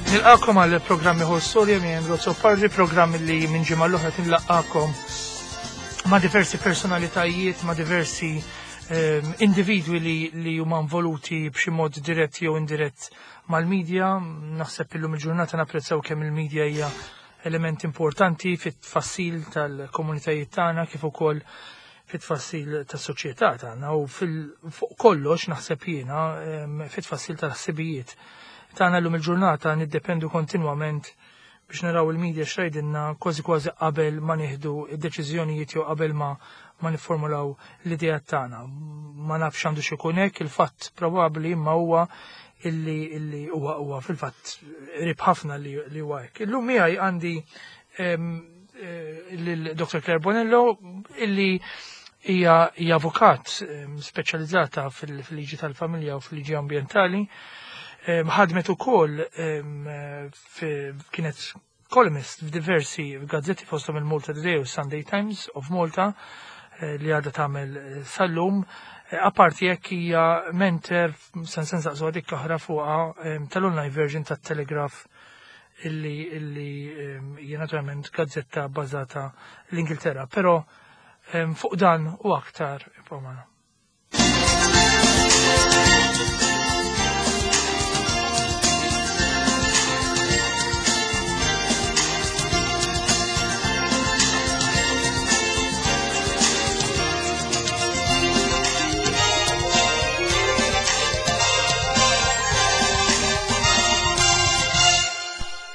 Nilqakom għal programmi ħol storja minn Andrew Pardi, programmi li minn ġimgħa l-oħra tinlaqakom ma' diversi personalitajiet, ma' diversi ehm, individwi li, li huma involuti b'xi mod dirett jew indirett mal-medja. Naħseb illum il-ġurnata napprezzaw kemm il-medja hija element importanti fit-tfassil tal-komunitajiet tagħna kif ukoll fit-tfassil tas-soċjetà tagħna u fuq kollox naħseb jiena ehm, fit-tfassil tal-ħsibijiet tagħna llum il-ġurnata niddependu kontinwament biex naraw il-media x'tgħidilna kważi kważi qabel ma nieħdu d-deċiżjonijiet jew qabel ma ma nifformulaw l-ideat tagħna. Ma nafx għandu x'ikun hekk, il-fatt probabbli imma huwa illi illi huwa huwa fil-fatt qrib ħafna li li huwa hekk. Illum miegħi għandi ehm, eh, lil Dr. Claire Bonello illi hija hija avukat ehm, speċjalizzata fil-liġi tal-familja u fil-liġi ambjentali. Ehm, ħadmet ukoll kienet columnist f'diversi gazzetti fosthom il-Malta Today u Sunday Times of Malta eh, li għadha tagħmel eh, sal-lum. Eh, apparti jekk hija mentor sen sen saqsu dik oħra fuqha tal-online version tat-Telegraph illi illi hija naturalment gazzetta bbażata l-Ingilterra. Però fuq dan u aktar ibqgħu magħna.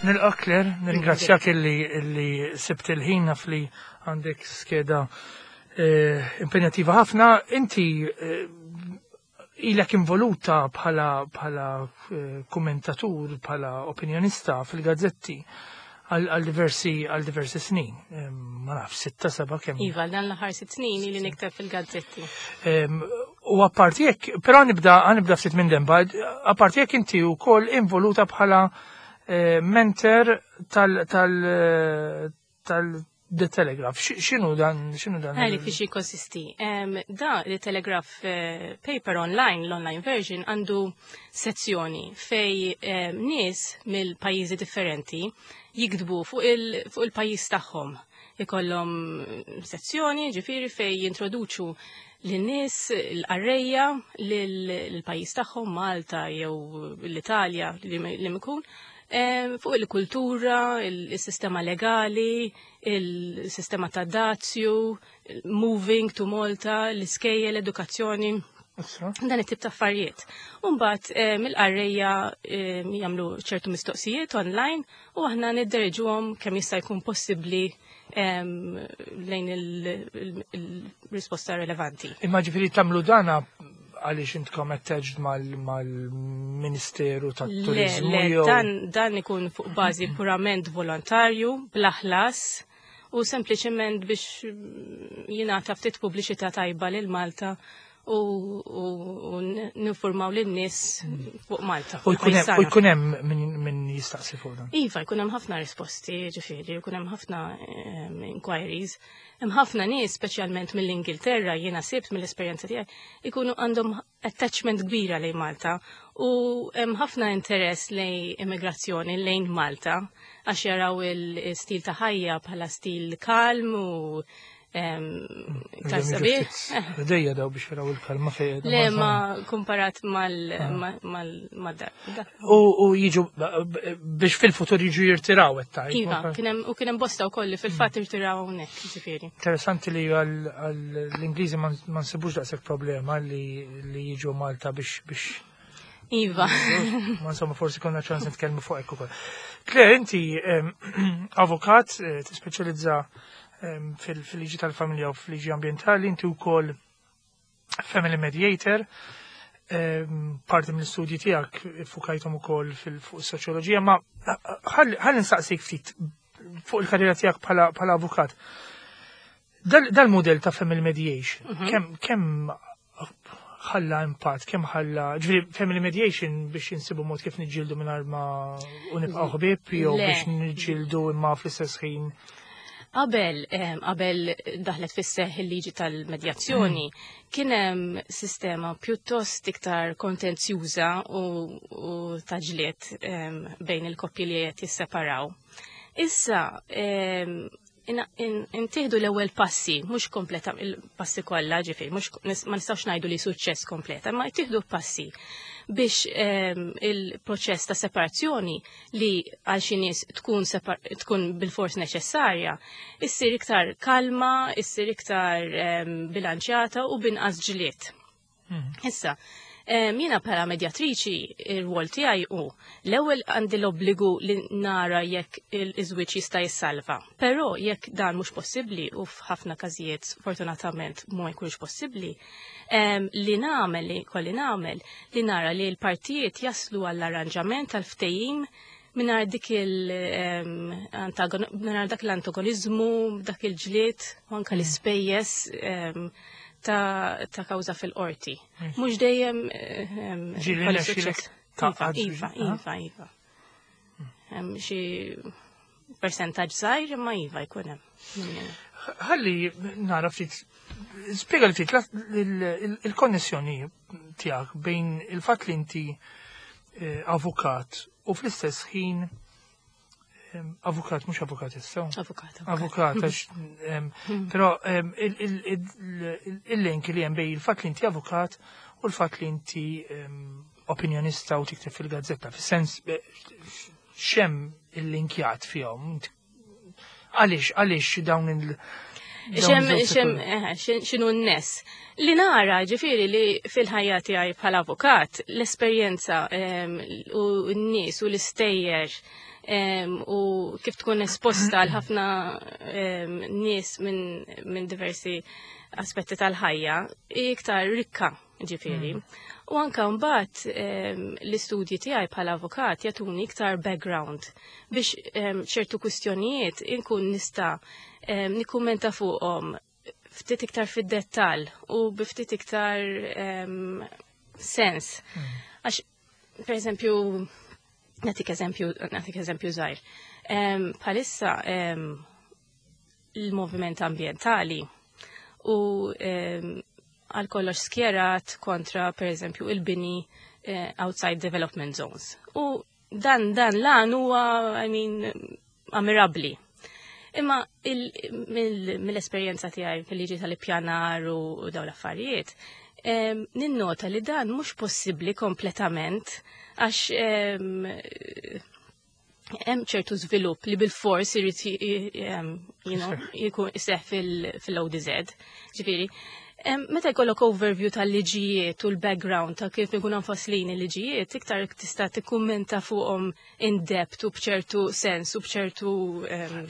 Nilqa' Claire, nirringrazzjak illi illi sibt il-ħin naf li għandek skeda eh, impenjattiva ħafna. Inti eh, ilek involuta bħala bħala eh, kommentatur, bħala opinjonista fil-gazzetti għal diversi għal diversi snin. Ma naf, sitta seba' kemm. Iva, dan l-aħħar sitt snin ili nikteb fil-gazzetti. U apparti jekk, però nibda nibda ftit minn demba, apparti jekk inti wkoll involuta bħala eh, mentor tal tal tal The Telegraph. X'inhu dan x'inhu dan? Għali fiex jikkonsisti. Da The Telegraph eh, paper online, l-online version, għandu sezzjoni fej nies mill-pajjiżi differenti jiktbu fuq il-pajjiż tagħhom. Ikollhom sezzjoni ġifieri fej jintroduċu lin-nies l-qarrejja lill-pajjiż tagħhom Malta jew l-Italja li mikun eh, fuq il-kultura, il-sistema legali, il-sistema ta' dazju, moving to Malta, l-iskejjel, l-edukazzjoni. Dan it-tip ta' affarijiet. Umbagħad eh, mill-qarrejja eh, jagħmlu ċertu mistoqsijiet online u aħna nidderġuhom kemm jista' jkun possibbli lejn il-risposta relevanti. Imma ġifieri tagħmlu dana għaliex intkom attached mal-Ministeru tat-Turiżmu Le, dan, dan ikun fuq bażi purament volontarju, bla ħlas, u sempliċement biex jingħata ftit pubbliċità tajba lil Malta u, u, u ninformaw lin-nies fuq Malta. U jkun hemm min jistaqsi fuq dan. Iva, jkun hemm ħafna risposti, ġifieri, jkun hemm ħafna ehm, inquiries. Hemm ħafna nies, speċjalment mill-Ingilterra, jiena sibt mill-esperjenza tiegħi, ikunu għandhom attachment kbira lejn Malta u hemm ħafna interess lejn immigrazzjoni lejn Malta għax jaraw il-stil ta' ħajja bħala stil kalm u Iktar sabiħ. Dejja daw biex jaraw il-kalma fejn. Le ma kumparat mal ah. dar. U jiġu biex fil-futur jiġu jirtiraw qed Iva, u kien hemm bosta wkoll li fil-fatt mm. irtiraw hawnhekk, ġifieri. Interessanti li għall-Ingliżi ma nsibux daqshekk problema li jiġu Malta biex biex Iva. Ma insomma forsi konna ċans nitkellmu fuq hekk ukoll. Claire, inti avukat eh, tispeċjalizza fil-liġi tal-familja u fil-liġi ambientali, inti wkoll family mediator, parti mill-istudji tiegħek fukajthom ukoll fuq is-soċjoloġija, ma ħalli nsaqsik ftit fuq il-karriera tiegħek bħala avukat. Dal-modell ta' family mediation, mhm. kemm ħalla impatt, kemm ħalla, ġifieri family mediation biex insibu mod kif niġġieldu mingħajr ma u nibqgħu ħbieb jew biex niġġieldu imma fl-istess ħin. Qabel daħlet fis-seħħ il-liġi tal-medjazzjoni, kien hemm sistema pjuttost iktar kontenzjuża u ta' ġlied bejn il-koppji li qed jisseparaw. Issa intieħdu l-ewwel passi, mhux kompleta il-passi kollha, ġifieri, mhux ma nistgħux ngħidu li suċċess kompleta, ma ttieħdu passi biex il-proċess ta' separazzjoni li għal xi nies tkun bil-fors neċessarja, issir iktar kalma, issir iktar bilanċjata u binqas ġlied. Issa, jiena bħala medjatriċi ir-rwol tiegħi hu l-ewwel għandi l-obbligu li nara jekk il-żwieġ jista' jissalva. Però jekk dan mhux possibbli u f'ħafna każijiet fortunatament ma jkunx possibbli, li nagħmel li kolli nagħmel li nara li l-partijiet jaslu għall-arranġament tal-ftehim mingħajr dik mingħajr dak l-antagonizmu, dak il-ġlied, u anke l-ispejjeż ta' kawża fil-qorti. Mhux dejjem Ġieli suċċess. Iva, iva, iva, iva. Xi persentaġġ żgħir imma iva jkun hemm. Ħalli nara ftit, spjega li ftit il-konnessjoni tiegħek bejn il-fatt li inti avukat u fl-istess ħin avukat, mhux avukat issa. Avukat. Avukat, għax, però il-link li hemm bejn il-fatt li inti avukat u l-fatt li inti opinjonista u tikteb fil-gazzetta, fis-sens xem il-linkjat fihom. Għaliex dawn il- Xinu n-nes. Li nara, ġifiri, li fil-ħajja tiegħi bħala avukat, l-esperjenza u n-nies u l-istejjer u kif tkun esposta għal ħafna nies minn diversi aspetti tal-ħajja, iktar rikka, ġifiri. U anka mbagħad l-istudji tiegħi bħala avukat jagħtuni iktar background biex ċertu kwistjonijiet inkun nista' nikkummenta fuqhom ftit iktar fid-dettall u bi ftit iktar sens. Għax, per eżempju, nagħtik eżempju żgħir. Bħalissa il-moviment ambientali u għal kollox skjerat kontra, per eżempju, il-bini outside development zones. U dan lan huwa, I mean, ammirabli. Imma mill-esperjenza tiegħi fil-liġi tal-ippjanar u dawn l-affarijiet, ninnota li dan mhux possibbli kompletament għax hemm ċertu żvilupp li bil-fors irid jkun iseħħ fil-ODZ. Ġifieri, meta jkollok overview tal-liġijiet u l-background ta' kif ikunu mfasslin il-liġijiet, iktar tista' tikkummenta fuqhom in depth u b'ċertu sens u b'ċertu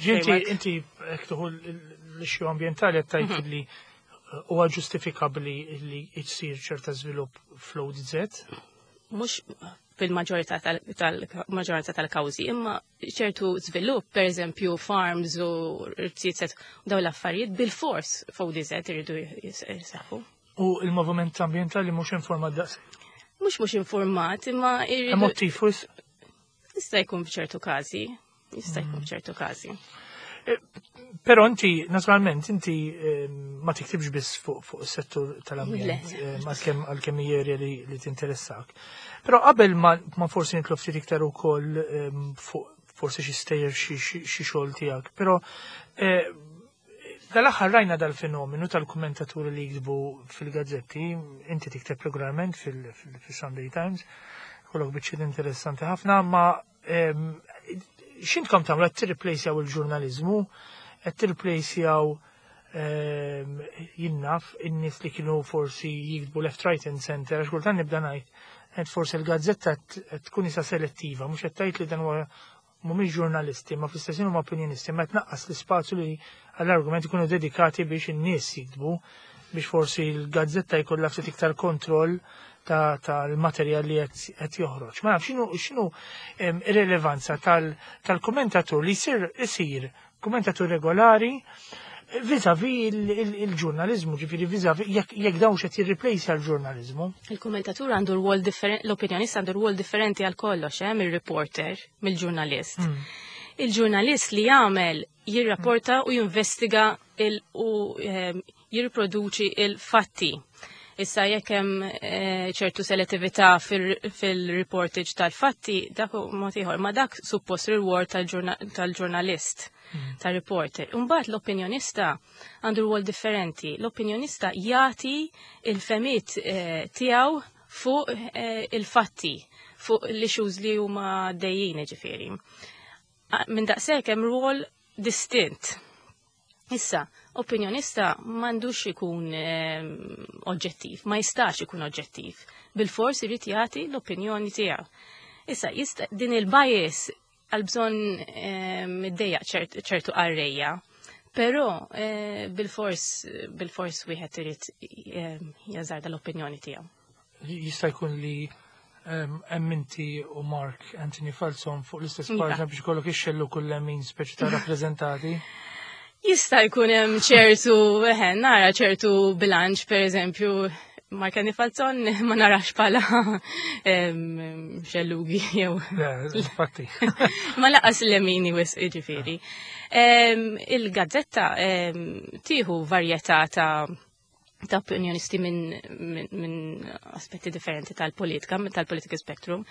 Ġinti, inti jekk tieħu l-issue ambientali qed tgħid li huwa ġustifikabbli li jsir ċerta żvilupp fl-ODZ? Mhux fil-maġġorità tal-maġġoranza tal-kawżi, imma ċertu żvilupp, per eżempju farms u rziezet u dawn l-affarijiet bil-fors f'ODZ iridu jseħħu. U il-moviment ambientali mhux informat daqs? Mhux informat, imma irridu. Emotiv wisq? Jista' jkun f'ċertu każi, jista' jkun f'ċertu każi. Però inti, naturalment, inti ma tiktibx biss fuq is-settur tal-ambjent, għalkemm hija area li tinteressak. Però qabel ma forsi nitlu ftit iktar ukoll fuq forsi xi stejjer xi xogħol tiegħek, però dal-aħħar rajna dal-fenomenu tal-kummentaturi li jiktbu fil-gazzetti, inti tikteb regolarment fil-Sunday Times, kollok biċċiet interessanti ħafna, ma x'intkom tagħmlu qed tirreplacejaw il-ġurnaliżmu, qed tirreplacejaw jinnaf in-nies li kienu forsi jiktbu left, right and center, għax kultant nibda ngħid qed forsi l-gazzetta qed tkun isa selettiva, mhux qed tgħid li dan huwa mhumiex ġurnalisti, ma fl-istess ħin huma opinjonisti, ma tnaqqas l-ispazju li għall-argument ikunu dedikati biex in-nies jiktbu, biex forsi l-gazzetta jkollha ftit iktar kontroll tal-materjal li qed joħroġ. Ma nafx x'inhu ir-rilevanza tal-kommentatur li isir kommentatur regolari vis-a-vis il-ġurnalizmu, ġifieri vis-a-vis jekk dawn x'qed jirreplace għall-ġurnalizmu. Il-kommentatur għandu rwol differenti, l-opinjonista għandu rwol differenti għal kollox, mir-reporter, mill-ġurnalist. Il-ġurnalist li jagħmel jirrapporta u jinvestiga u jirriproduċi il-fatti. Issa jekk hemm ċertu selettività fil-reportage tal-fatti, dak mod ieħor, ma dak suppost reward tal-ġurnalist, tal-reporter. Imbagħad l-opinjonista għandu rwol differenti. L-opinjonista jagħti il-fehmiet tiegħu fuq il-fatti, fuq l-issues li huma dejjin ġifieri. Minn daqshekk hemm rwol distint. Issa, opinjonista m'għandux ikun oġġettiv, ma jistax ikun oġġettiv. Bil-fors irid jagħti l-opinjoni tiegħu. Issa, jista' din il-bias għal bżonn iddejjaq ċertu qarrejja, però bil-fors wieħed irid jażarda l-opinjoni tiegħu. Jista' jkun li hemm inti u Mark Anthony Falzon fuq l-istess paġna biex ikollok ixxellu kull min speċi ta' rappreżentati? Jista' jkun hemm ċertu, eħe, nara ċertu bilanċ, per eżempju, Mark Anthony Falzon ma narax bħala xellugi jew. Le, infatti. Ma laqas l-lemini wisq jiġifieri. Il-gazzetta tieħu varjetà ta' opinjonisti minn aspetti differenti tal-politika, tal-political spectrum.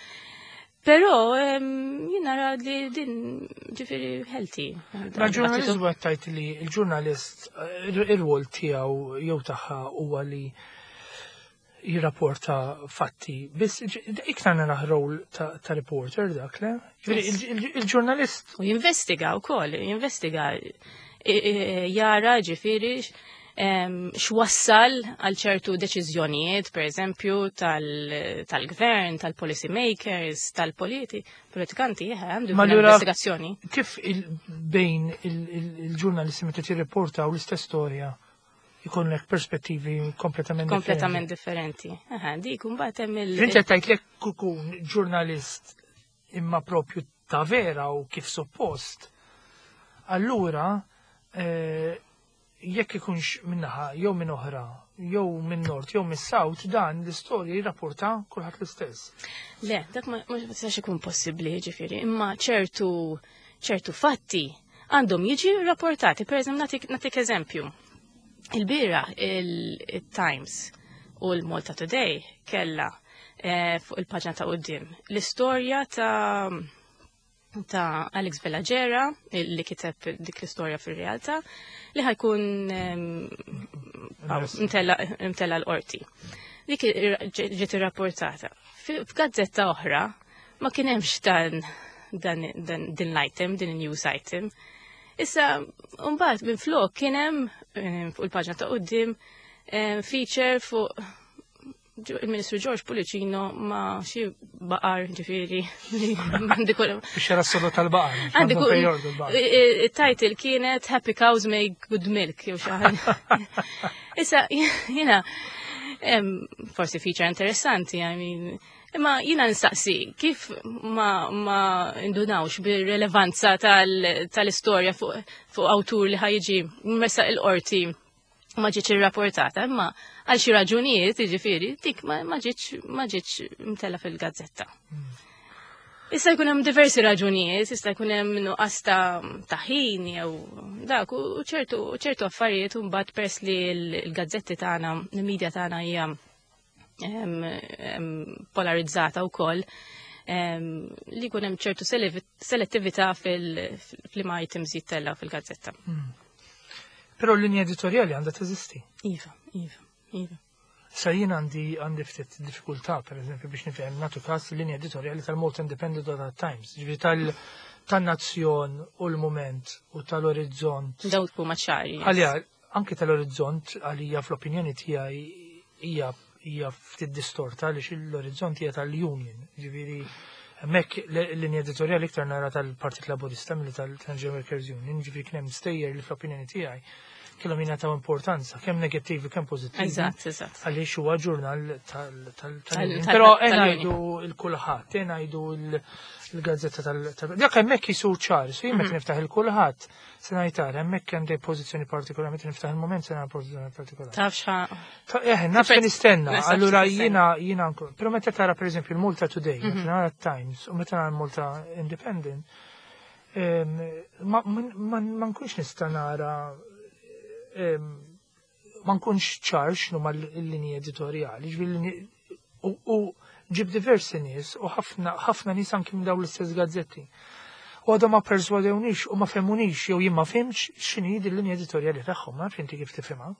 Però jien nara li din ġifieri healthy. Ma ġurnalist huwa tajt li l-ġurnalist ir-rwol tiegħu jew tagħha huwa li jirrapporta fatti. Biss iktar nara rol ta' reporter dak, le? Ġifieri il-ġurnalist U jinvestiga wkoll, jinvestiga jara ġifieri x'wassal għal ċertu deċiżjonijiet, per eżempju, tal-gvern, tal-policy makers, tal-politi, politikanti, għandu Ma allura investigazzjoni. Kif bejn il-ġurnalisti meta tirriportaw l-istess storja jkollek perspettivi kompletament Kompletament differenti. Aha, dik imbagħad hemm il- Inti qed tgħid lek kukun ġurnalist imma propju ta' vera u kif suppost. Allura, jekk ikunx minnaħa jew minn oħra, jew minn nord, jew minn south, dan l-istorja jirrapporta kulħadd l-istess. Le, dak ma jistax ikun possibbli, ġifieri, imma ċertu fatti għandhom jiġi rapportati. Per eżempju, natik eżempju. Il-bira il-Times u l-Malta Today kella fuq il-paġna ta' quddiem l-istorja ta' Alex Vella Gera, li kiteb dik l-istorja fil-realtà, li ħa jkun imtella l-qorti. Dik ġiet irrapportata. F'gazzetta oħra ma kien hemmx dan din l-item, din news item. Issa, mbagħad minn flok kien hemm fuq il-paġna ta' quddiem feature fuq il-Ministru George Pullicino ma xi baqar ġifieri. Għandi kull Biex jara s-soda tal-baqar. Għandi Għandu kull fejn jordu l-baqar. Il-title kienet "Happy Cows Make Good Milk" jew xi ħaġa. Issa, jiena forsi feature interessanti, I mean, imma jiena nistaqsi kif ma indunawx bir-relevanza tal-istorja fuq awtur li ħa jiġi mressaq il-qorti ma ġietx irrapportata, imma għal xi raġunijiet, jiġifieri, dik ma ġietx mtella fil-gazzetta. Issa jkun hemm diversi raġunijiet, issa jkun hemm nuqqas ta' ħin jew dak u ċertu affarijiet u mbagħad pers li l-gazzetti tagħna, il-medja tagħna hija polarizzata wkoll, li jkun hemm ċertu selettività fil-liema items jittella fil-gazzetta. Però l-linja editorjali għandha teżisti. Iva. Sa jien għandi ftit diffikultà, per eżempju, biex nifhem nagħtu każ l-linja editorjali tal-Malta Independent u tal-Times, ġifieri tan-Nazzjon u l-Mument u tal-Orizzont. Dawk huma ċari. Yes. Għalija, anke tal-Orizzont, għalija fl-opinjoni tiegħi hija ftit distorta għaliex l-Orizzont hija tal-Union, ġifieri hemmhekk l-linja editorjali iktar nara tal-Partit Laburista milli tal-General Workers Union, ġifieri kien hemm stejjer li fl-opinjoni tiegħi kellhom jingħataw importanza, kemm negattivi kemm pożittivi. Eżatt, eżatt. Għaliex huwa ġurnal tal-Union. Però tal-Union. ngħidu il-Kullħadd, ngħidu il-gazzetta dak hemmhekk jisur ċar, so jien meta niftaħ il-Kullħadd se ngħid ara hemmhekk hemm dej pożizzjoni partikolari, meta niftaħ il-Mument se nara pożizzjoni partikolari. Taf x'ħa Naf x'in nistenna, Naf x'in allura tistenna. jiena nkun. Però meta tara pereżempju il-Malta Today, meta nara Times u meta nara il-Malta Independent, Ma nkunx nista' nara ma nkunx ċar x'nu l-linji editorjali, u ġib diversi nies u ħafna nies anki minn dawn l-istess gazzetti. U għadhom ma perswadewnix u ma fehmunix jew jien ma fhimtx x'inhi din l-linja editorjali tagħhom, ma nafx inti kif tifhimha.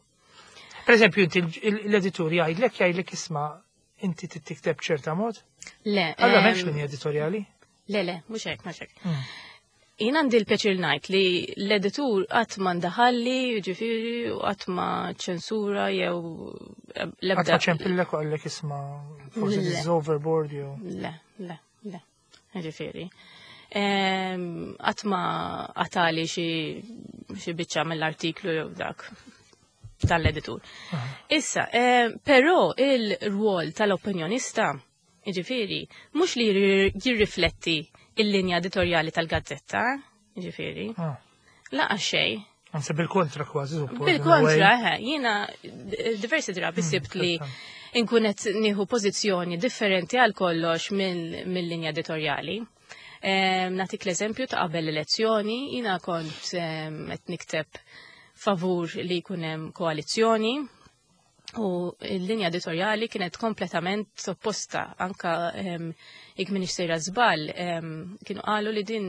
Per eżempju, inti l-editur jgħidlek jgħidlek isma' inti tikteb ċerta mod? Le. Allora m'hemmx linja editorjali? Le, le, mhux hekk, mhux hekk. Jien għandi l-pjaċir ngħid li l-editur qatt ma ndaħalli, jiġifieri, u qatt ma ċensura jew l-ebda. Qatt ma ċempillek u qallek isma' forsi this is overboard jew. Le, le, le. Jiġifieri. Qatt ma qatali xi biċċa mill-artiklu jew dak tal-editur. Issa, però il-rwol tal-opinjonista Jiġifieri, mhux li jirrifletti il-linja editorjali tal-gazzetta, jiġifieri. Ah. Laqa xejn. Anzi bil-kontra kważi. Bil-kontra, eh, jiena diversi drabi hmm, sibt li nkun qed nieħu pożizzjoni differenti għal kollox mill-linja editorjali. Natik l-eżempju ta' qabel l-elezzjoni, jiena kont qed nikteb favur li jkun hemm koalizzjoni U l-linja editorjali kienet kompletament opposta, anka jekk minix sejra żball, kienu qalu li din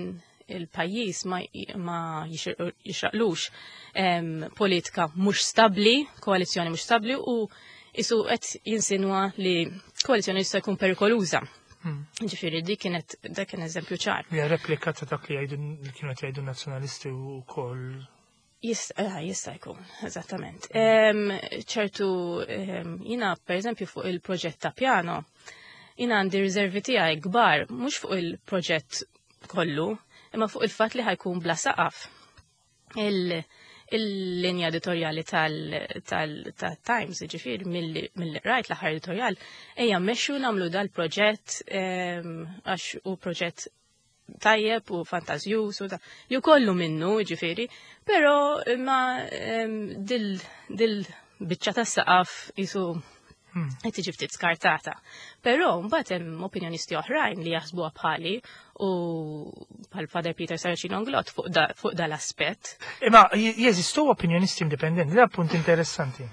il-pajjiż ma, ma jixraqlux politika mhux stabbli, koalizzjoni mhux stabbli u isu qed jinsinwa li koalizzjoni jista' jkun perikoluża. Ġifieri dik kienet dak kien eżempju ċar. Hija replika ta' dak li jgħidu li kienu qed jgħidu nazzjonalisti wkoll. Eh, jista' jkun, eżattament. Ċertu, jina per eżempju fuq il-proġett ta' piano, jina għandi riservi tiegħi kbar, mhux fuq il-proġett kollu, imma fuq il-fatt li ħajkun bla saqaf. Il-linja editorjali tal-Times, ġifir, mill-rajt l-aħħar editorjal, ejja mmexxu nagħmlu dal-proġett għax u proġett tajjeb u fantażjuż u da, li kollu minnu, ġifieri, però ma dil, dil biċċa tas saqaf jisu qed tiġi ftit skartata. Però mbagħad hemm opinjonisti oħrajn li jaħsbuha bħali u bħal Father Peter Saracino Englot fuq da, fuq dal-aspett. Imma jeżistu opinjonisti indipendenti, da punt interessanti.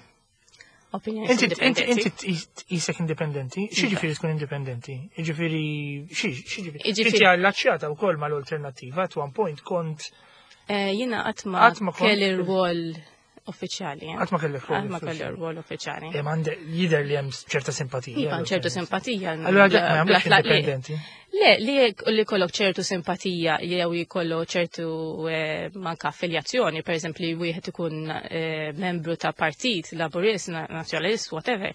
Opinjoni Inti inti tqisek indipendenti? Xi iva. ġifieri tkun indipendenti? Ġifieri xi ġifieri? Inti allaċċjata wkoll mal-alternattiva at one point kont eh, Jiena qatt ma kelli rwol uffiċjali. Eh. Qatt ma kellek rwol. Qatt ma kelli rwol uffiċjali. Eh, għandek jidher li hemm ċerta simpatija. Iva, ċertu simpatija. Allura dak ma jagħmlux indipendenti. Le, li li kollok ċertu simpatija jew jkollu ċertu eh, manka affiljazzjoni, per eżempju li wieħed ikun eh, membru ta' partit, laburist, nazzjonalist, whatever,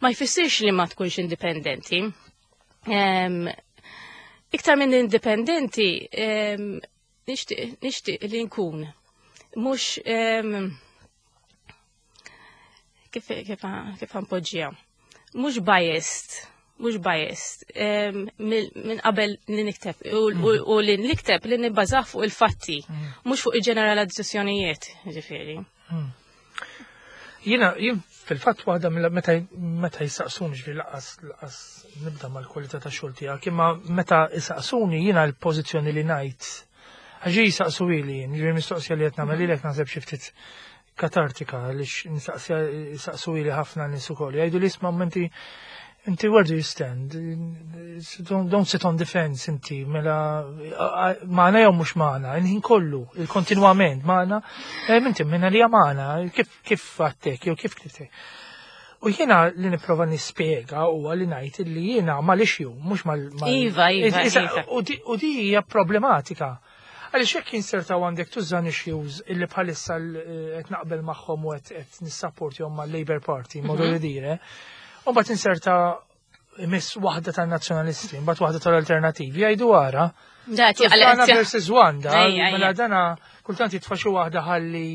ma jfissirx li ma tkunx indipendenti. Iktar minn indipendenti, nixtieq li nkun mhux kif kif kif npoġġiha. Mhux biased, mhux biased minn qabel li nikteb u mm. li nikteb li nibbażah fuq il-fatti, mm. mhux fuq il-ġeneralizzazzjonijiet, ġifieri. Mm. Jiena jien fil-fatt waħda meta meta jisaqsuni ġifieri laqas laqas nibda mal-kwalità ta' xogħol tiegħek, imma meta jisaqsuni jiena l-pożizzjoni li ngħid għax jisaqsu ili jien, ġifieri mistoqsija li qed nagħmel lilek naħseb xi ftit katartika għaliex jisaqsu ili ħafna nies ukoll. Jgħidu li isma' inti inti where do you stand? Don't, don't sit on the fence inti, mela maħna jew mhux maħna, il-ħin kollu, il-kontinwament maħna, eh, inti minna li maħna, kif kif għattek, jew kif kif U jiena li nipprova nispjega huwa li ngħid li jiena mal-issue, mhux mal. Iva, iva, iva. U di hija problematika. Għaliex jekk jinsertaw għandek tużan issues illi bħalissa eh, qed naqbel magħhom u qed nissapportihom mal-Labour Party, modu li dire, u mbagħad inserta miss waħda tan-nazzjonalisti, mbagħad waħda tal-alternativi, jgħidu ara. Dana versus Wanda, mela dana kultant jitfa' xi waħda ħalli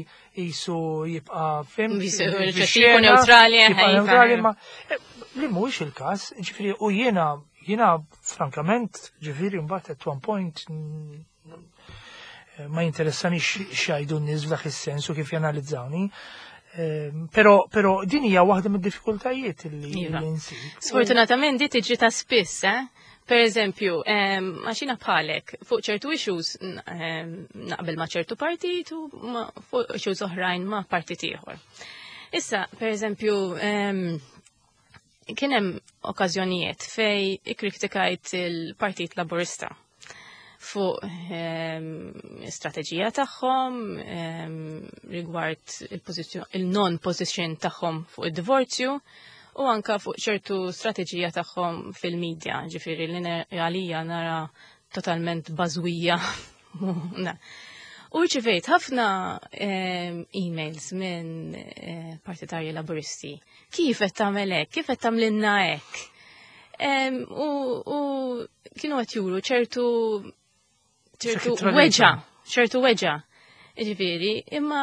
jisu jibqa' fim. Neutrali, neutrali, ma eh, li mhuwiex il-każ, ġifieri u jiena Jiena frankament, ġifieri mbagħad at one point ma jinteressanix x'jgħidu n-nies f'dak is-sens u kif janalizzawni. Ehm, pero, pero din hija waħda mid-diffikultajiet li iva. nsib. Sfortunatament di tiġri ta' spiss, eh? Per eżempju, għax jiena bħalek, fuq ċertu issues naqbel ma' ċertu partit u fuq issues oħrajn ma' partit ieħor. Issa, per eżempju, kien hemm okkażjonijiet fej ikkritikajt il-Partit Laburista fuq strateġija tagħhom rigward il-non position tagħhom fuq id-divorzju u anka fuq ċertu strateġija tagħhom fil-medja, ġifieri li għalija nara totalment bażwija. U rċivejt ħafna emails minn partitarji Laburisti. Kif qed tagħmel hekk? Kif qed tagħmlilna hekk? U kienu qed juru ċertu weġa, ċertu weġa. Ġifieri, imma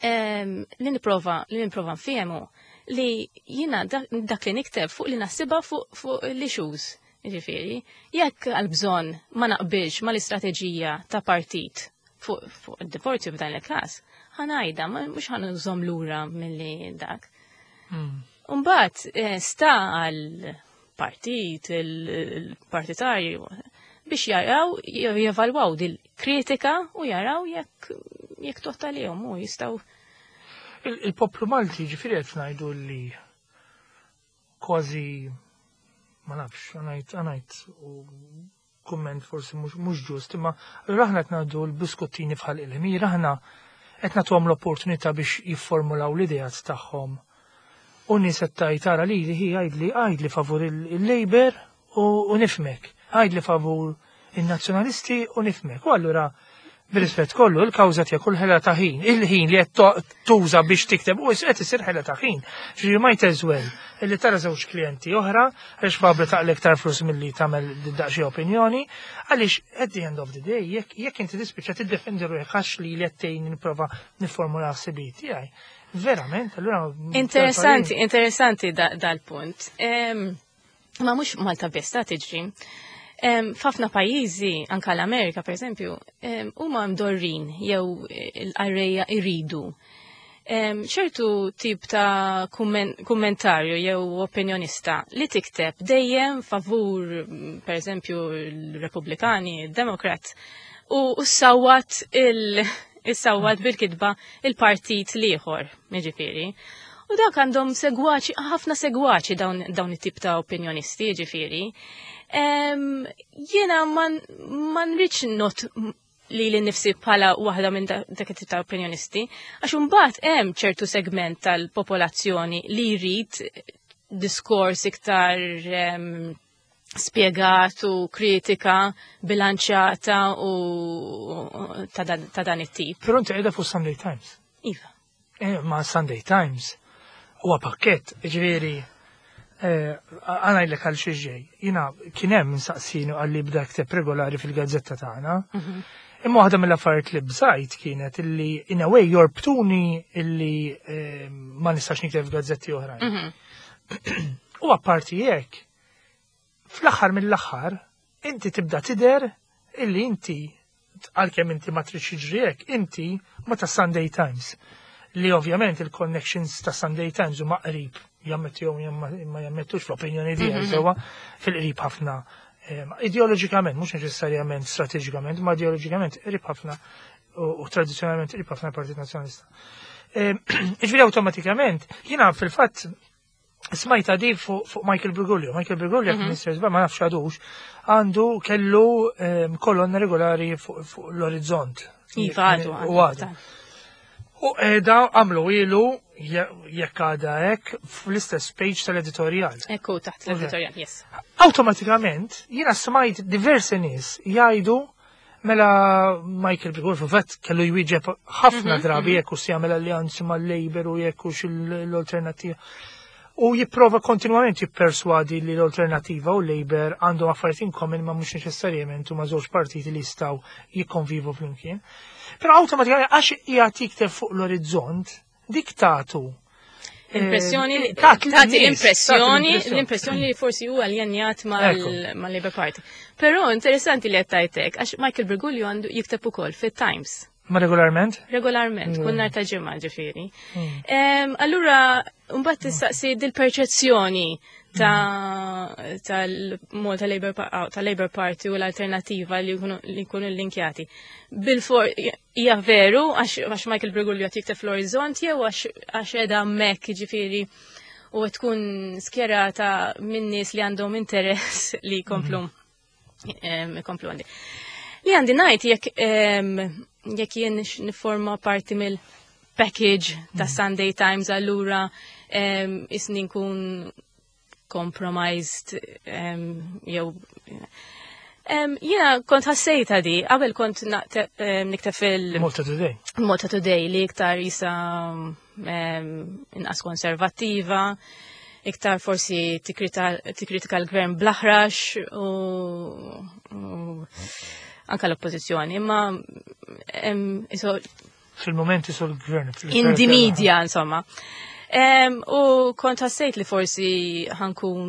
li nipprova nfiehmu li jina dak li nikteb fuq li naħsibha fuq l-issues. Ġifieri, jekk għal-bżonn ma naqbilx ma l-istrateġija ta' partit fuq id-divorzju f'dan il-każ, ħa ngħidha, mhux ħa nżomm lura milli dak. Umbagħad sta għal partit, il-partitarju, biex jaraw, jevalwaw dil-kritika u jaraw jekk totta li u jistgħu. Il-poplu Malti, ġifieri, qed ngħidu li kważi, ma nafx, ħa ngħid u kumment forsi mhux ġust, imma aħna qed ngħaddu l-biskottini bħal il-ħmir, aħna qed nagħtuhom l-opportunità biex jifformulaw l-ideat tagħhom. U nies qed tgħid, tara li hi għidli favur il-Labour u nifhmek, għidli favur il-Nazzjonalisti u nifhmek. U allura, bir-rispett kollu, il-kawża tiegħek kull ħela ta' ħin, il-ħin li qed tuża biex tikteb u qed isir ħela ta' ħin. Ġifieri might as well illi tara żewġ klijenti oħra għaliex probabbli taqla' iktar flus milli tagħmel daqsxejn opinjoni, għaliex at the end of the day jekk inti tispiċċa tiddefendi ruħek għax li qed tgħin nipprova nifformula ħsibijiet tiegħi. Verament, allura. Interessanti, interessanti dal-punt. Ma mhux Malta biss ta' tiġri. F'ħafna pajjiżi, anka l-Amerika per eżempju, huma mdorrin jew l-qarrejja iridu ċertu tip ta' kummentarju jew opinjonista li tikteb dejjem favur, per eżempju, l-Repubblikani, il-Demokrat, u sawat il issawwat bil-kitba il-partit l-ieħor, jiġifieri. U dak għandhom segwaċi, ħafna segwaċi dawn it-tip ta' opinjonisti, ġifieri. Jiena ma nridx not li li nifsi bħala waħda minn dak it-tip ta' opinjonisti, għax imbagħad hemm ċertu segment tal-popolazzjoni li jrid diskors iktar spiegat u kritika bilanċjata u ta' dan it-tip. Però inti qiegħda fuq Sunday Times. Iva. Ma Sunday Times huwa pakket, ġifieri għana jlek għal xieġej. Jiena kien hemm insaqsinu għalli bda kteb regolari fil-gazzetta tagħna. Imma waħda mill-affarijiet li bżajt kienet illi in a way jorbtuni illi ma nistax nikteb f'gazzetti oħrajn. U apparti jekk, fl-aħħar mill-aħħar, inti tibda tidher illi inti, għalkemm inti ma tridx jiġri hekk, inti ma ta' Sunday Times. Li ovvjament il-connections ta' Sunday Times huma qrib, jammettu jew ma jammettux, fl-opinjoni tiegħi sewwa, fil-qrib ħafna ideoloġikament, mhux neċessarjament strateġikament, ma ideoloġikament qrib ħafna u tradizzjonalment qrib ħafna Partit Nazzjonalista. Ġifieri awtomatikament, jiena fil-fatt smajta di fuq Michael Briguglio. Michael Briguglio, Minister ma nafx għadux, għandu kellu kolonna regolari fuq l-Orizzont. Iva, għadu. U għadu. U edha għamlu ilu, jekk għada hekk, fl-istess page tal-editorial. Ekku, taħt l-editorial, yes. Awtomatikament, jiena smajt diversi nies jgħidu, mela Michael Briguglio fil-fatt kellu jwieġeb ħafna drabi jekk hux jagħmel alleanzi mal-Labour u jekk hux l-Alternattiva. U jipprova kontinwament jipperswadi li l-Alternativa u Labour għandhom affarijiet in common, ma mhux neċessarjament huma żewġ partiti li jistgħu jikkonvivu flimkien. Però awtomatikament, għax qiegħed jikteb fuq l-Orizzont, dik tatu Impressjoni, tagħti tagħti lin-nies, impressjoni, tagħti l-impressjoni li forsi huwa aljenjat mal-Labour Party. Però interessanti li qed tgħidlek, għax Michael Briguglio għandu jikteb ukoll fit-Times. Ma regolarment? Regolarment, kull nhar ta' ġimgħa, ġifieri. Allura, mbagħad tistaqsi dil-perċezzjoni. ta' tal-Malta Labour tal-Labour Party u l-Alternativa li jkunu linkjati. Bil-for hija veru għax Michael Briguglio qed jikteb fl-Orizzont jew għax qiegħda hemmhekk, jiġifieri, u tkun skjerata minn nies li għandhom interess li jkomplu jkomplu għandi. Li għandi ngħid, jekk jien niforma parti mill-package ta' Sunday Times, allura isni nkun compromised jew jiena kont ħassejta di, qabel kont nikteb fil- Malta Today. Malta Today, li iktar jisa inqas konservattiva, iktar forsi tikkritika l-gvern bl-aħrax u anka l-oppozizjoni, imma Fil-moment iso l-gvern. In the media, insomma. U kont ħassejt li forsi ħa nkun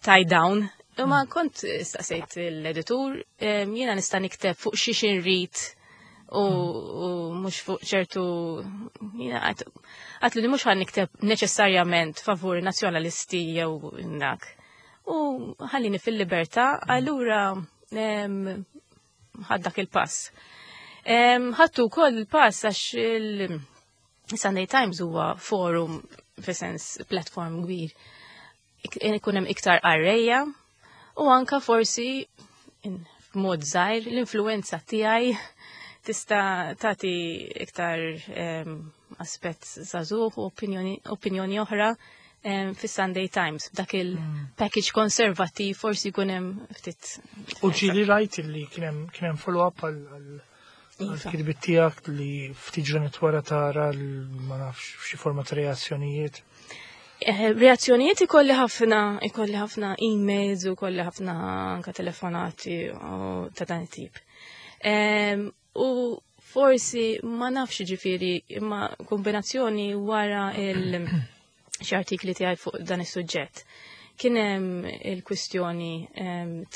tied down. Imma kont staqsejt l-editur, jiena nista' nikteb fuq xi xinrid u mhux fuq ċertu, jiena għedtlu li mhux ħa nikteb neċessarjament favur nazzjonalisti jew dak. U ħallini fil-libertà, allura ħadt dak il-pass. Ħadtu wkoll il-pass għax il-Sunday Times huwa forum, fi sens platform kbir. Ikun hemm iktar qarrejja u anka forsi f'mod żgħir l-influenza tiegħi tista' tagħti iktar aspett żagħżugħ u opinjoni oħra fis-Sunday Times. Dak il-package konservattiv forsi jkun hemm ftit. U ġieli rajt li kien hemm follow-up għal kitbiet tiegħek li ftit ġranet wara tara ma nafx xi forma ta' reazzjonijiet? Reazzjonijiet ikolli ħafna emails u ikolli ħafna anka telefonati u ta' dan it-tip. U forsi ma nafx, ġifieri, imma kombinazzjoni wara il xi artikli tiegħi fuq dan is-suġġett. Kien hemm il-kwistjoni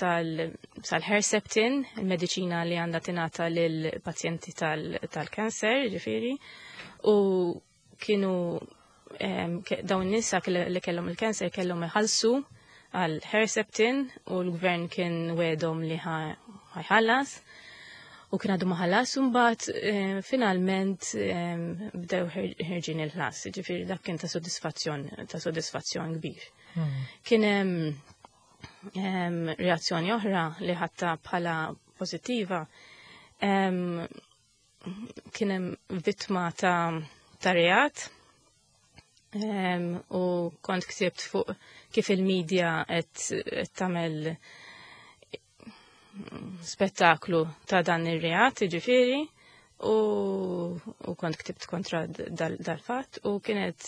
tal-Herceptin, il-mediċina li għandha tingħata lil pazjenti tal-kanser, ġifieri, u kienu dawn nisa li kellhom il-kanser kellhom iħallsu għal Herceptin u l-gvern kien wegħedhom li ħa jħallas u kien għadu ma ħallas, u mbagħad finalment bdew ħerġin il-ħlas, ġifieri dak kien ta' sodisfazzjon kbir. Kien hemm reazzjoni oħra li ħadtha bħala pożittiva. Kien hemm vittma ta' reat u kont ktibt fuq kif il-medja qed tagħmel spettaklu ta' dan ir-reat, ġifieri, u kont ktibt kontra dal-fatt u kienet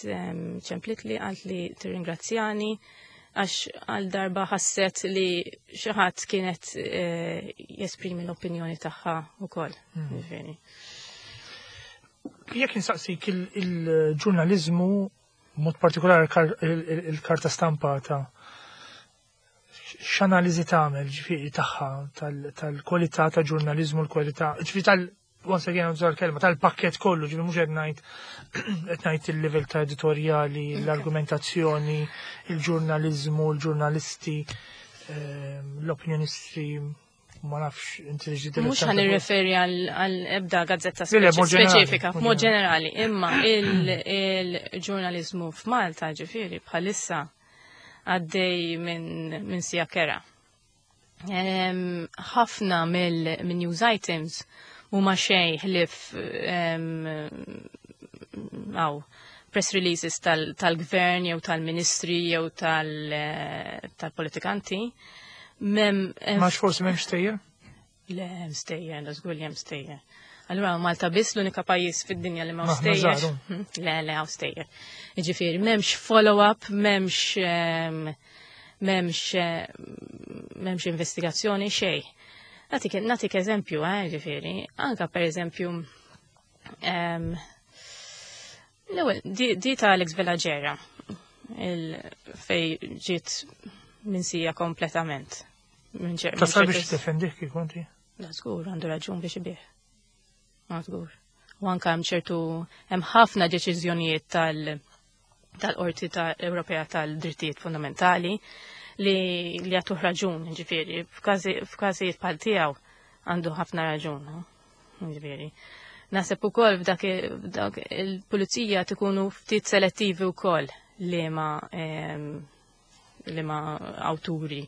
ċemplit li għalt li tirringrazzjani għax għal darba ħasset li xi ħadd kienet jesprimi l-opinjoni tagħha wkoll. Ġifieri. Jekk insaqsik il-ġurnalizmu, mod partikolari il-karta stampata, x'analiżi tagħmel, ġifieri, tagħha tal-kwalità ta' ġurnalizmu, l-kwalità, ġifieri tal once again użar kelma tal-pakket kollu, ġifieri mhux qed ngħid il-livell ta' editorjali, l-argumentazzjoni, il-ġurnalizmu, il-ġurnalisti, l-opinjonisti, ma nafx inti li Mhux ħa nirreferi għal ebda gazzetta Le, le, mod ġenerali, speċifika, mod mod ġenerali, imma il-ġurnalizmu f'Malta, ġifieri, bħalissa għaddej minn sija kerha. Ħafna mill news items huma xejn ħlief għaw press releases tal-gvern jew tal-ministri jew tal-politikanti. Mem, Ma forsi m'hemmx stejjer? Le, hemm stejjer, da żgur li hemm stejjer. Allura Malta biss l-unika pajjiż fid-dinja li ma Maħna stejjer. żgħar, Le, le, hawn stejjer. Jiġifieri, m'hemmx follow-up, m'hemmx investigazzjoni, xejn. Natik eżempju, ġifieri, anka per eżempju, l-ewwel, di ta' Alex Vella Gera, fej ġiet minsija kompletament. Tasal Minn biex tiddefendih kif konti? Da żgur għandu raġun biex ibih. Ma żgur. U anka hemm ċertu, hemm ħafna deċiżjonijiet tal tal-Qorti ta' Ewropea tal-Drittijiet Fundamentali li jagħtuh raġun, ġifieri, f'każijiet bħal tiegħu għandu ħafna raġun, ġifieri. Naħseb ukoll f'dak il-pulizija tkunu ftit selettivi wkoll li ma li ma awturi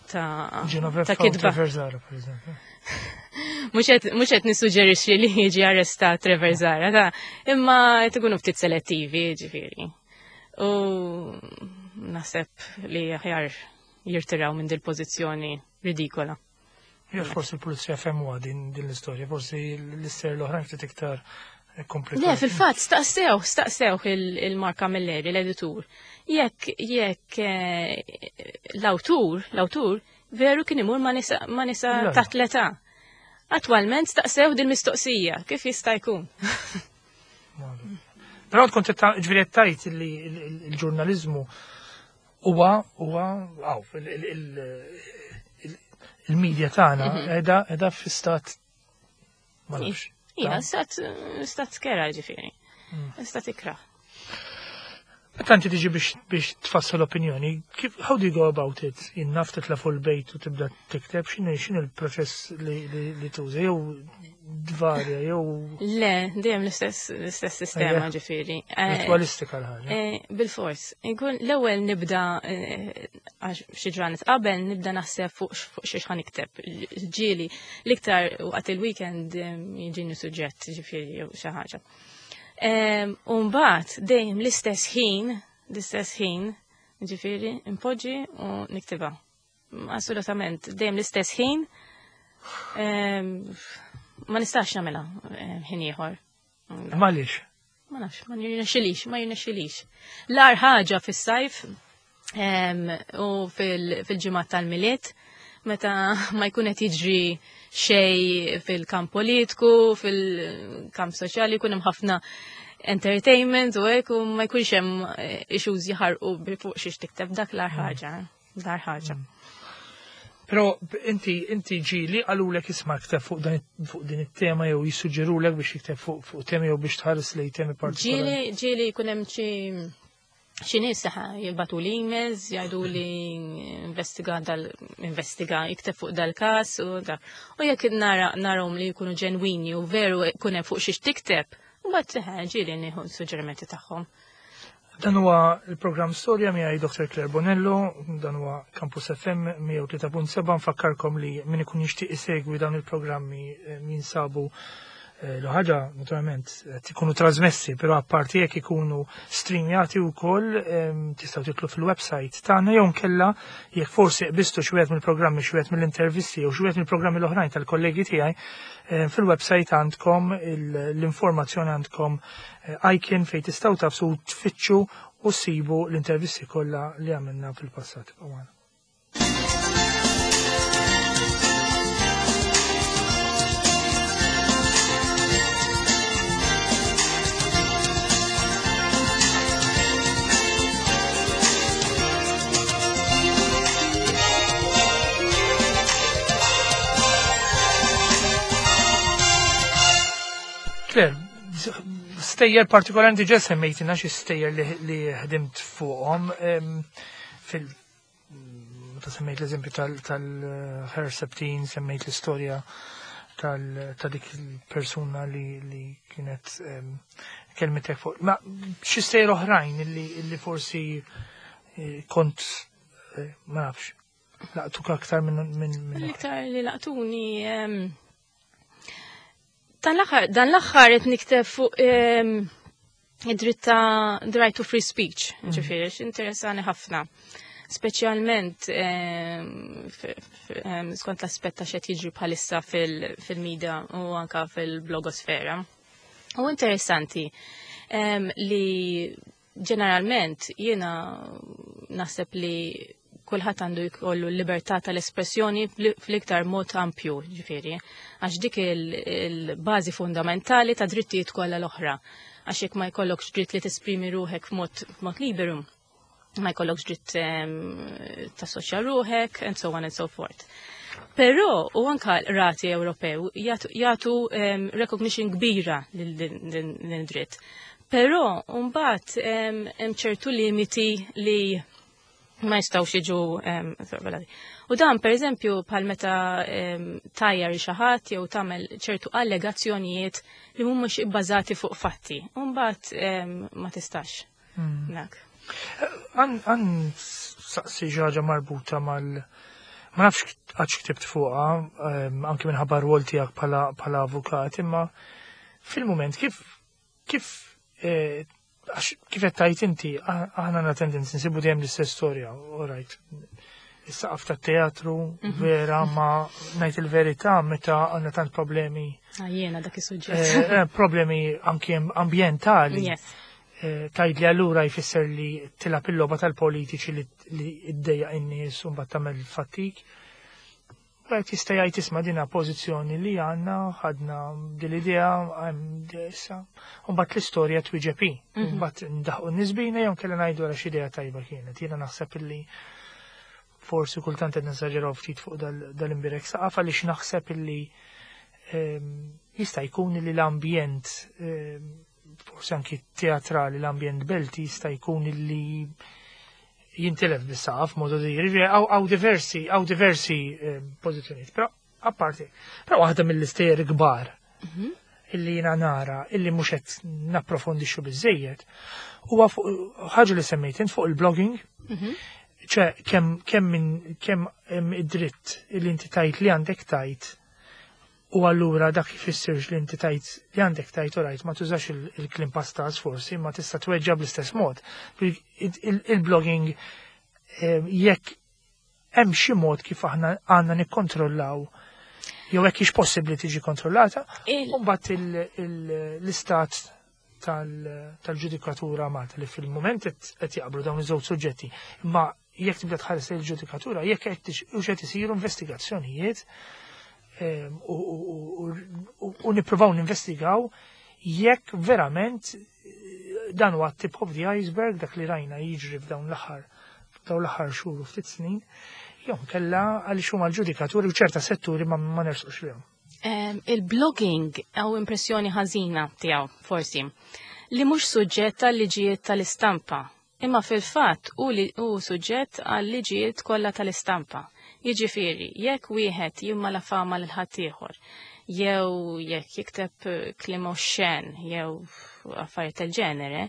ta' ta' kitba. Trevor Zara, per eżempju. Mhux qed nissuġġerixxi li jiġi arrestat Trevor Zara, ta' imma qed ikunu ftit selettivi, ġifieri. U naħseb li aħjar jirtiraw minn dil-pożizzjoni ridikola. Jew forsi l-pulizija femmuha din l-istorja, forsi l-istejjer l-oħrajn ftit iktar komplikat. Le, fil-fatt, staqsew, staqsew il-Mark Camilleri, l-editur. Jekk jekk eh, l-awtur, l-awtur veru kien imur ma nisa ma nisa taħt l-età. Attwalment staqsew din mistoqsija, kif jista' jkun? Però tkun ġifieri tajt li l-ġurnaliżmu huwa huwa għaw il-medja tagħna mhm. qiegħda qiegħda fi stat ma nafx. Ija, stat stat skera ġifieri. Mm. Stat ikra. Meta inti tiġi biex tfassal opinjoni, kif how do you go about it? Innaf titla' fuq il-bejt u tibda tikteb x'inhu x'inhu l-proċess li tuża jew dvarja jew Le, dejjem l-istess l-istess sistema ġifieri. Eh, Ritualistika l-ħaġa. Eh, bil-fors. Inkun l-ewwel nibda eh, għax xi ġranet qabel nibda naħseb fuq xi x'ħa nikteb. Ġieli l-iktar waqt il-weekend jiġini suġġett ġifieri jew xi ħaġa. U mbagħad dejjem l-istess ħin, l-istess ħin, ġifieri, impoġġi u niktibha. Assolutament, dejjem l-istess ħin. Ma nistax nagħmilha ħin ieħor. Għaliex? Ma nafx, ma jirnexxilix, ma jirnexxilix. L-ar ħaġa fis-sajf u fil-ġimgħat tal-Milied meta ma jkun qed jiġri xej fil-kamp politiku, fil-kamp soċjali, jkun hemm ħafna entertainment u hekk u ma jkunx hemm eh, issues jaħarqu fuq xiex tikteb dak l-ar ħaġa. Dar ħaġa. Mm. Pero inti inti ġili qalulek isma' kteb fuq dan fuq din it-tema jew jissuġġerulek biex jikteb fuq fuq temi jew biex tħares lej temi partikolari. Ġieli ġieli jkun hemm xi xi nies jibatu li emails jgħidu li investiga dal investiga jikteb fuq dal-każ u da. U jekk nara narahom li jkunu ġenwini u veru jkun hemm fuq xiex tikteb, mbagħad ġieli nieħu suġġerimenti tagħhom. Dan huwa il-programm Storja miegħi Dr. Claire Bonello, dan huwa Campus FM 103.7 nfakkarkom li min ikun jixtieq isegwi dawn il-programmi eh, jinsabu eh, l-ħaġa naturalment qed ikunu trasmessi, però apparti jekk ikunu streamjati wkoll ehm, tistgħu titlu fil-website tagħna jew nkella jekk forsi qbistu xi wieħed mill-programmi xi wieħed mill-intervisti jew xi wieħed mill-programmi l-oħrajn tal-kollegi tiegħi eh, fil-website għandkom l-informazzjoni għandkom icon fejn tistgħu tafsu tfittxu u ssibu l-intervisti kollha li għamilna fil-passat. Claire, Stejjer partikolari inti ġa semmejtina xi stejjer li ħdimt fuqhom fil meta semmejt l-eżempju tal-Herceptin, semmejt l-istorja ta' dik il-persuna li kienet kelmitek fuq. Ma xi stejjer oħrajn li forsi eh, kont eh, ma nafx laqtuk aktar minn L-iktar li laqtuni Dan l-aħħar dan l-aħħar qed nikteb fuq ehm, id-dritt ta' the right to free speech, mm. ġifieri, interessani ħafna. Speċjalment ehm, ehm, skont l-aspett ta' xed jiġri bħalissa fil-media u anka fil-blogosfera. U interessanti li Ġeneralment jiena naħseb li kulħadd għandu jkollu l-libertà tal-espressjoni fl-iktar mod ampju, ġifieri, għax dik il-bażi fundamentali ta' drittijiet kollha l-oħra. Għax jekk ma jkollokx dritt li tesprimi ruħek f'mod liberu, ma jkollokx dritt ehm, tassoċja ruħek, and so on and so forth. Però u anka rati Ewropew jagħtu ehm, recognition kbira lil dritt. Però mbagħad hemm ċertu limiti li ma jistgħux jiġu sorvelati. U dan pereżempju bħal meta tajjar xi ħadd jew tagħmel ċertu allegazzjonijiet li mhumiex ibbażati fuq fatti. U mbagħad ma tistax. Dak. Għan saqsi ħaġa marbuta mal ma nafx għax ktibt fuqha, anki minħabba r-rwol tiegħek bħala avukat, imma fil-mument kif qed tajt inti, aħna għandna tendenzi nsibu dejjem l-istess storja, all right. Is-saqaf tat-teatru, vera, ma ngħid il-verità meta għandna tant problemi. Ah, jiena dak is-suġġett. Problemi anki ambjentali. Tgħid li allura jfisser li tilgħab il-logħba tal-politiċi li iddejjaq in-nies u mbagħad tagħmel fattik. Wieħed jista' jgħid isma' dina pożizzjoni li għandna, ħadna din l-idea, hemm issa. U mbagħad l-istorja twieġeb hi. Mbagħad ndaħqu n-nisbina jew kellha ngħidu għal xi idea tajba kienet. Jiena naħseb illi forsi kultant qed nesaġeraw ftit fuq dal-imbirek saqaf għaliex naħseb illi jista' jkun li l-ambjent forsi anki teatrali, l-ambjent belti jista' jkun illi jintilef bis-saqaf modu di, jiġifieri hawn diversi pożizzjonijiet, però apparti, però waħda mill-istejjer kbar illi jiena nara illi mhux qed napprofondixxu biżejjed huwa fuq ħaġa li semmejt int fuq il-blogging. ċe kemm hemm id-dritt illi inti tajt li għandek tajt u allura dak jfissirx li inti tajt li għandek tajt u rajt ma tużax il-kliem pastas forsi ma tista' tweġġa bl-istess mod. Il-blogging jekk hemm xi mod kif aħna għandna nikkontrollaw jew hekk hix possibbli tiġi kontrollata, u mbagħad l-istat tal-ġudikatura Malta li fil-moment qed jaqblu dawn iż-żewġ suġġetti. Imma jekk tibda tħares il-ġudikatura, jekk qed isiru investigazzjonijiet u nippruvaw ninvestigaw jekk verament dan huwa tip of the iceberg dak li rajna jiġri f'dawn l-aħħar xhur u ftit snin, jew kella għaliex huma l-ġudikaturi u ċerta setturi ma nersqux lihom. Il-blogging għaw impressjoni ħażina tiegħu forsi li mhux suġġett għal liġijiet tal-istampa, imma fil-fatt hu li hu suġġett għal liġijiet kollha tal-istampa. Jiġifieri, jekk wieħed jimmalafama lil ħaddieħor, jew jekk jikteb kliem oxxen jew affarijiet tal-ġenere,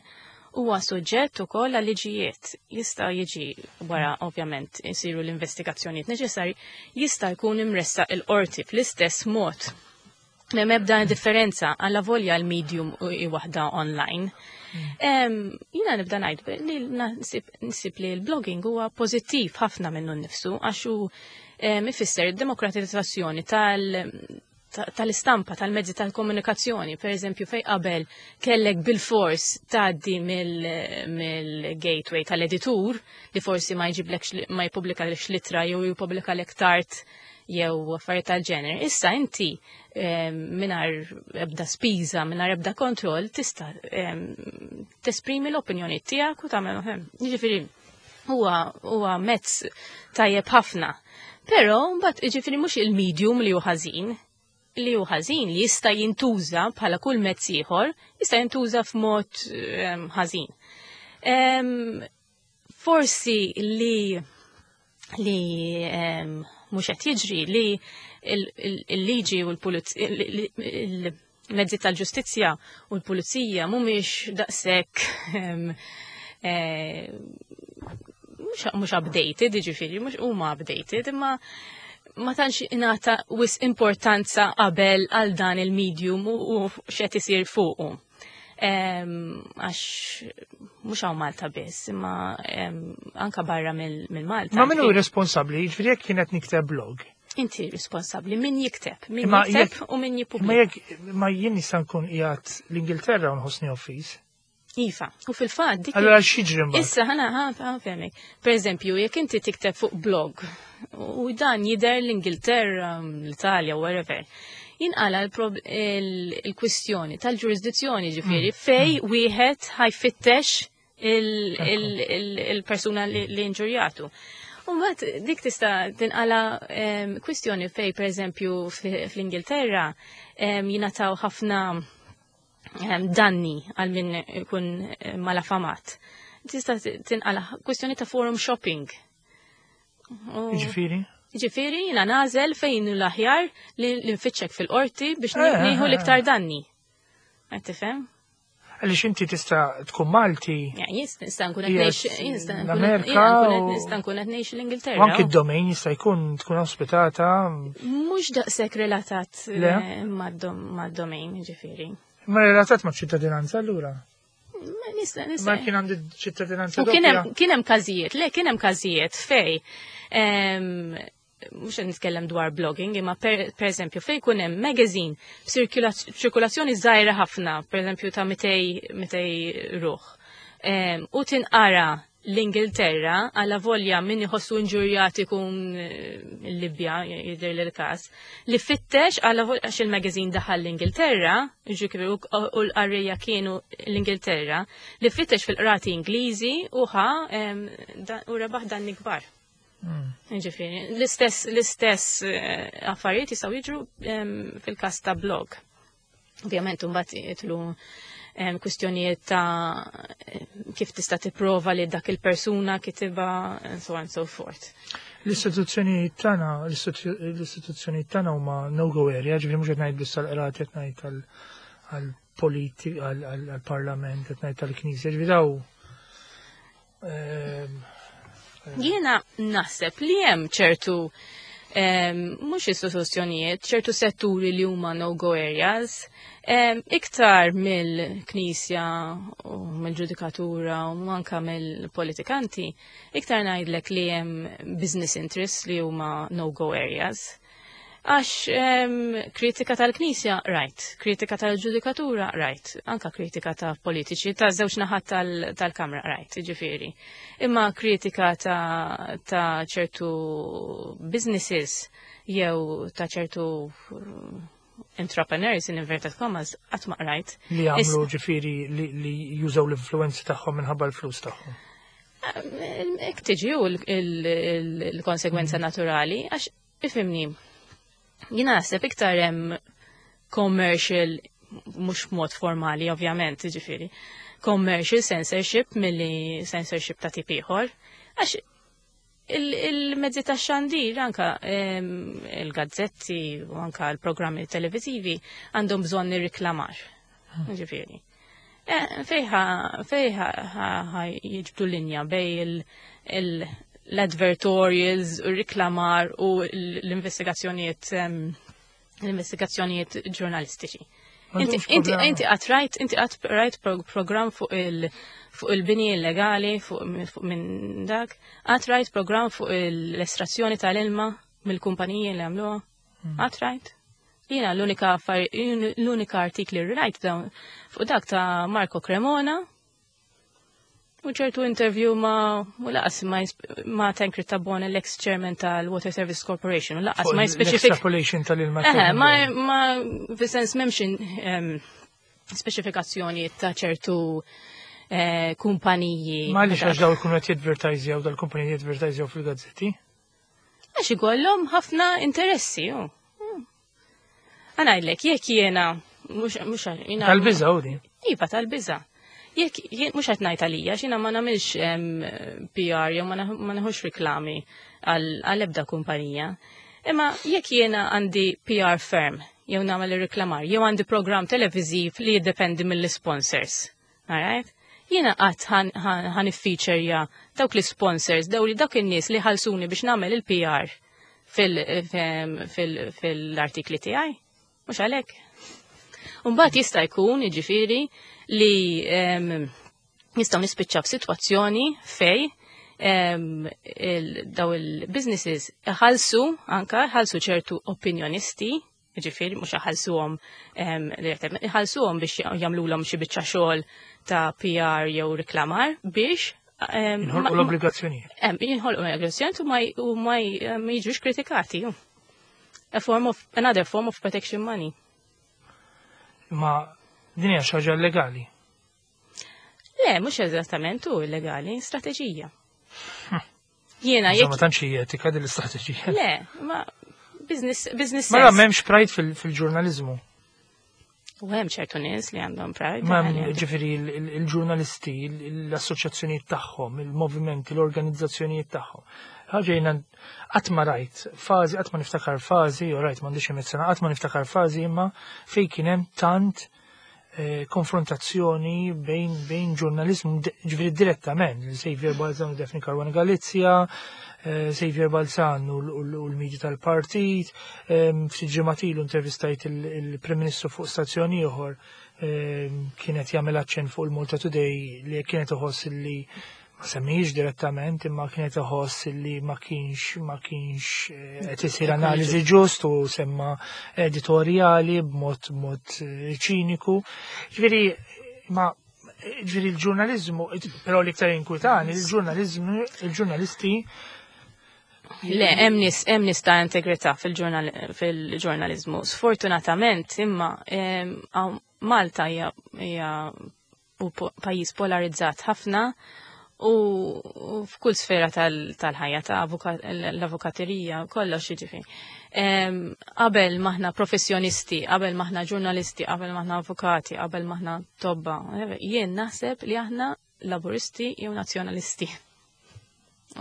huwa suġġett ukoll għal liġijiet. Jista' jiġi wara ovvjament isiru l-investigazzjonijiet neċessarji, jista' jkun imressaq il-qorti fl-istess mod. M'hemm ebda differenza għalla volja l-medium u waħda online. Jiena nibda ngħid li nsib li l-blogging huwa pożittiv ħafna minnu nnifsu għax hu ifisser id-demokratizzazzjoni tal-istampa, tal-mezzi tal-komunikazzjoni, per eżempju, fej qabel kellek bil-fors tgħaddi mill-gateway tal-editur li forsi ma jġiblekx, ma jippubblikalekx l-ittra jew jippubblikalek tard jew affarijiet tal-ġener. Issa inti mingħajr ebda spiża, mingħajr ebda kontroll, tista' tesprimi l-opinjoni tiegħek u tagħmel. Jiġifieri huwa mezz tajjeb ħafna. Però mbagħad jiġifieri mhux il-medium li hu ħażin, li hu ħażin li jista' jintuża bħala kull mezz ieħor, jista' jintuża f'mod ħażin. Forsi li mhux qed jiġri li il-liġi u l-mezzi tal-ġustizzja u l-pulizija mhumiex daqshekk mhux updated, jiġifieri, mhux huma updated, imma ma tantx ingħata wisq importanza qabel għal dan il-medium u x'qed isir fuqu. Għax mhux hawn Malta biss, imma anka barra mill-Malta. Ma min hu responsabbli, jiġifieri jekk kienet nikteb blog. Inti responsabbli, min jikteb, min jikteb u min jippubblika. Ma jekk ma jien nista' nkun qiegħed l-Ingilterra u nħossni offiż. Iva, u fil-fatt dik. Allora x'jiġri mbagħad? Issa ħa nfehmek. Per eżempju, jekk inti tikteb fuq blog u dan jidher l-Ingilterra, l-Italja, wherever, jinqala il-kwistjoni tal-ġurisdizzjoni ġifieri fej wieħed ħa jfittex il-persuna li inġurjatu. U mbagħad dik tista' tinqala kwistjoni fej per eżempju fl-Ingilterra jingħataw ħafna. Danni għal min ikun malafamat. Tista' tinqala kwistjoni ta' forum shopping. Ġifieri? Ġifieri jiena nagħżel fejn l-aħjar li nfittxek fil-qorti biex nieħu l-iktar danni. Qed tifhem? Għaliex inti tista' tkun Malti. Nista' nkun qed ngħix l-Amerika. Nista' nkun qed ngħix l-Ingilterra. Anki d-domain jista' jkun tkun ospitata. Mhux daqshekk relatat mad-domain, ġifieri. Ma relatat ma' ċittadinanza allura? Nista, nista. Ma kien għandi ċittadinanza. U kien hemm każijiet, le kien hemm każijiet fej mhux qed nitkellem dwar blogging, imma per eżempju fejn ikun hemm magazine b'ċirkulazzjoni żgħira ħafna, per eżempju ta' 200 ruħ. U tinqara l-Ingilterra għala volja min iħossu inġurjat ikun il-Libja, jidher li l-każ, li fittex għala għax il-magazine daħal l-Ingilterra, ġifieri u l-qarrejja kienu l-Ingilterra, li fittex fil-qrati Ingliżi u ħa u rebaħ danni kbar. Ġifieri, l-istess affarijiet jistgħu jiġru fil-każ ta' blog. Ovvjament imbagħad jitlu kwistjonijiet ta' kif tista' tipprova li dak il-persuna kitibha and so on and so forth. L-istituzzjonijiet tagħna, l-istituzzjonijiet tagħna huma no-go area, ġifieri mhux qed ngħid biss għall-qrati, qed ngħid għall-politi, għall-parlament, qed ngħid tal-Knisja, ġifieri daw Jiena naħseb li hemm ċertu mhux istituzzjonijiet, ċertu setturi li huma no-go areas, iktar mill-Knisja u mill-ġudikatura u anka mill-politikanti, iktar ngħidlek li hemm business interests li huma no-go areas. Għax kritika tal-Knisja, right, kritika tal-ġudikatura, right, anka kritika ta' politiċi, ta' żewġ naħat tal-Kamra, right, ġifieri. Imma kritika ta' ċertu businesses jew ta' ċertu entrepreneurs in inverted commas, qatt ma qrajt. Li għamlu ġifieri li jużaw l-influenzi tagħhom minħabba l-flus tagħhom. Ek tiġi u l-konsegwenza naturali, għax ifhimni, jina naħseb iktar hemm commercial, mhux mod formali ovvjament, ġifieri, commercial censorship milli censorship ta' tip ieħor, għax il-mezzi ta' xandir, anka il-gazzetti u anka l-programmi televizivi għandhom bżonn nirriklamar. Ġifieri. Fejħa jiġbdu linja bej l-advertorials, u riklamar u l-investigazzjonijiet ġurnalistiċi. Inti qatt rajt, inti qatt rajt program fuq il-bini illegali, fuq minn dak, qatt rajt program fuq l-estrazzjoni tal-ilma mill-kumpaniji li għamluha, qatt rajt? Jiena l-unika artikli rajt dawn fuq dak ta' Marco Cremona u ċertu interview ma' u lanqas ma' Tancred Tabone, l-ex-chairman tal-Water Service Corporation, u lanqas ma jispeċifik. L-extrapolation tal-ilma. Eħe, ma fis-sens m'hemmx speċifikazzjoni ta' ċertu kumpaniji. Ma għaliex għax daw ikunu qed jadvertajzjaw, dal-kumpaniji jadvertajzjaw fil-gazzetti? Għax ikollhom ħafna interessi, ju. Ħa ngħidlek, jekk jiena, mhux jiena. Tal-biża' u din. Iva, tal-biża'. Jekk jien mhux qed ngħid għalija, x'jiena ma nagħmilx PR jew ma neħux riklami għal ebda kumpanija. Imma jekk jiena għandi PR firm jew nagħmel ir-reklamar, jew għandi program televiżiv li jiddependi mill-sponsors. Alright? Jiena qatt ħan iffeaturja dawk l-sponsors, daw li dawk in-nies li ħalsuni biex nagħmel il-PR fil-artikli tiegħi. Mhux għalhekk. Mbagħad jista' jkun, jiġifieri, li nistgħu nispiċċaw f'sitwazzjoni fej daw il-businesses ħalsu anka ħalsu ċertu opinjonisti, ġifieri mhux ħalsuhom ħalsuhom biex jagħmluhom xi biċċa xogħol ta' PR jew reklamar biex Jinħolqu l-obbligazzjonijiet. Jinħolqu l-obbligazzjonijiet u ma jiġux kritikati. A form of, another form of protection money. Ma din hija xi ħaġa illegali. Le, mhux eżattament hu illegali, strateġija. Jiena Insomma, jekk tantx hija etika din l-istrateġija. Le, ma business Mela sense. m'hemmx pride fil-ġurnaliżmu. U hemm ċertu nies li għandhom pride. Ma ġifieri il-ġurnalisti, l-assoċjazzjonijiet tagħhom, il-movimenti, l-organizzazzjonijiet tagħhom. Ħaġa jiena qatt ma rajt fażi, qatt ma niftakar fażi, u rajt m'għandix sena, qatt ma niftakar fażi imma fejn kien hemm tant konfrontazzjoni bejn ġurnalizmu, ġifieri direttament, Xavier Balzan u Daphne Caruana Galizia, Xavier Balzan u l-medja tal-partit, ftit ġimgħat ilu intervistajt il-Prim Ministru fuq stazzjon ieħor, kienet jagħmel aċċenn fuq il-Malta Today li kienet iħoss li ma semmijiex direttament imma kienet iħoss li ma kienx qed isir analiżi ġust u semma editorjali b'mod mod ċiniku. Ġifieri ma ġifieri l-ġurnaliżmu, però l-iktar inkwitani, il-ġurnaliżmu, il-ġurnalisti. Le, hemm nies ta' integrità fil-ġurnalizmu. Sfortunatament, imma Malta hija pajjiż polarizzat ħafna u f'kull sfera tal-ħajja ta' l-avukaterija, kollox jiġifieri. Qabel maħna professjonisti, qabel maħna ġurnalisti, qabel maħna avukati, qabel maħna tobba, jien naħseb li aħna Laburisti jew Nazzjonalisti.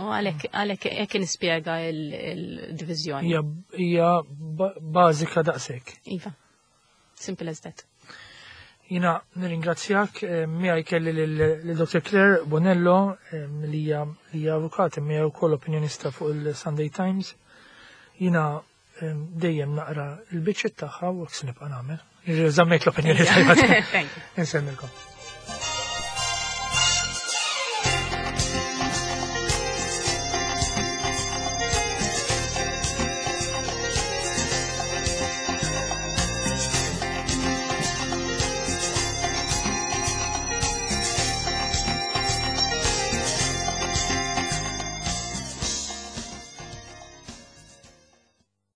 U għalhekk hekk nispjega il-diviżjoni. Hija bażika daqshekk. Iva. Simple as that. Jiena nirringrazzjak, miegħi kelli lil Dr. Claire Bonello, li hija avukat miegħi wkoll opinjonista fuq il-Sunday Times. Jiena dejjem naqra l-biċċiet tagħha u se nibqa' nagħmel. Żammejt l-opinjoni tajba. Insellmilkom.